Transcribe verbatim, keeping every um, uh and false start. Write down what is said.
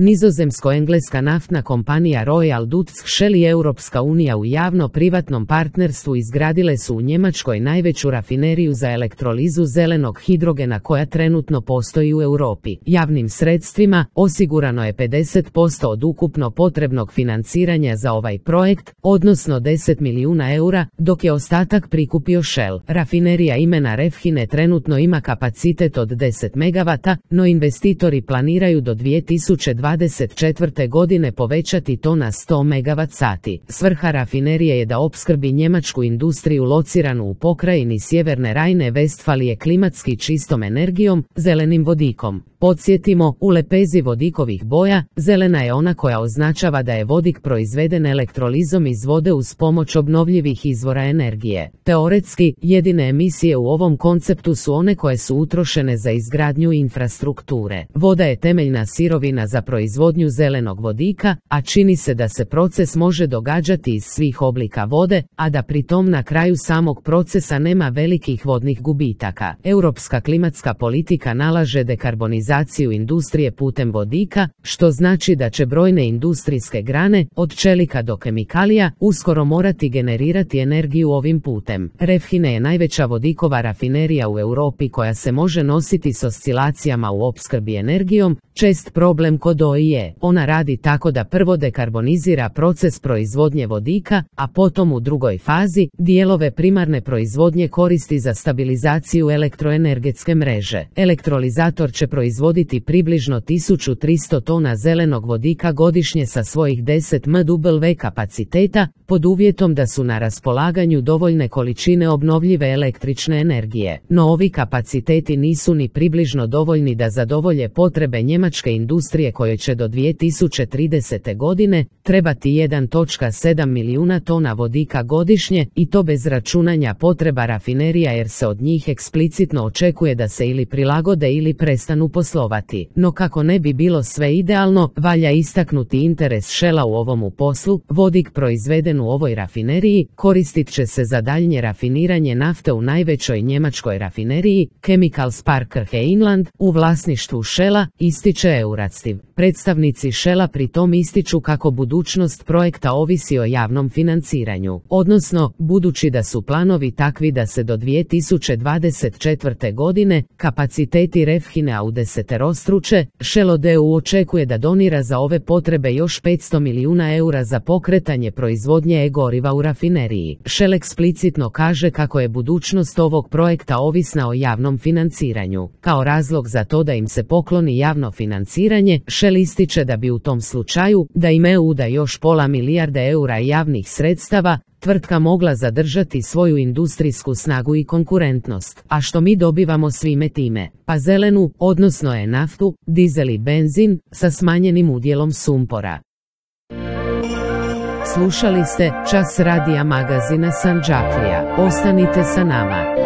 Nizozemsko-engleska naftna kompanija Royal Dutch Shell i Europska unija u javno-privatnom partnerstvu izgradile su u Njemačkoj najveću rafineriju za elektrolizu zelenog hidrogena koja trenutno postoji u Europi. Javnim sredstvima osigurano je pedeset posto od ukupno potrebnog financiranja za ovaj projekt, odnosno deset milijuna eura, dok je ostatak prikupio Shell. Rafinerija imena Refhine trenutno ima kapacitet od deset megavata, no investitori planiraju do dvije tisuće dvadeset četvrte. godine povećati to na sto megavat sati. Svrha rafinerije je da opskrbi njemačku industriju lociranu u pokrajini Sjeverne Rajne-Vestfalije klimatski čistom energijom, zelenim vodikom. Podsjetimo, u lepezi vodikovih boja, zelena je ona koja označava da je vodik proizveden elektrolizom iz vode uz pomoć obnovljivih izvora energije. Teoretski, jedine emisije u ovom konceptu su one koje su utrošene za izgradnju infrastrukture. Voda je temeljna sirovina za proizvodnju zelenog vodika, a čini se da se proces može događati iz svih oblika vode, a da pritom na kraju samog procesa nema velikih vodnih gubitaka. Europska klimatska politika nalaže dekarbonizaciju industrije putem vodika, što znači da će brojne industrijske grane, od čelika do kemikalija, uskoro morati generirati energiju ovim putem. Refhine je najveća vodikova rafinerija u Europi koja se može nositi s oscilacijama u opskrbi energijom. Čest problem kod O I je, ona radi tako da prvo dekarbonizira proces proizvodnje vodika, a potom u drugoj fazi dijelove primarne proizvodnje koristi za stabilizaciju elektroenergetske mreže. Elektrolizator će proizvoditi približno tisuću tristo tona zelenog vodika godišnje sa svojih deset megawata kapaciteta, pod uvjetom da su na raspolaganju dovoljne količine obnovljive električne energije. No ovi kapaciteti nisu ni približno dovoljni da zadovolje potrebe njemačke industrije kojoj će do dvije tisuće tridesete. godine trebati jedan zarez sedam milijuna tona vodika godišnje, i to bez računanja potreba rafinerija jer se od njih eksplicitno očekuje da se ili prilagode ili prestanu poslovati. No kako ne bi bilo sve idealno, valja istaknuti interes Shella u ovomu poslu. Vodik proizveden u ovoj rafineriji koristit će se za daljnje rafiniranje nafte u najvećoj njemačkoj rafineriji, Chemicals Park Rheinland, u vlasništvu Shella, ističe Eurativ. Predstavnici Shella pritom ističu kako budućnost projekta ovisi o javnom financiranju, odnosno, budući da su planovi takvi da se do dvije tisuće dvadeset četvrte. godine kapaciteti Refhinea udeseterostruče, Shell o D U očekuje da donira za ove potrebe još petsto milijuna eura za pokretanje proizvodnje e-goriva u rafineriji. Shell eksplicitno kaže kako je budućnost ovog projekta ovisna o javnom financiranju. Kao razlog za to da im se pokloni javno financiranje, Shell ističe da bi u tom slučaju, da im E U da još pola milijarde eura javnih sredstava, tvrtka mogla zadržati svoju industrijsku snagu i konkurentnost. A što mi dobivamo svime time? Pa zelenu, odnosno je naftu, dizel i benzin, sa smanjenim udjelom sumpora. Slušali ste Čas radija magazina Sandžaklija. Ostanite sa nama.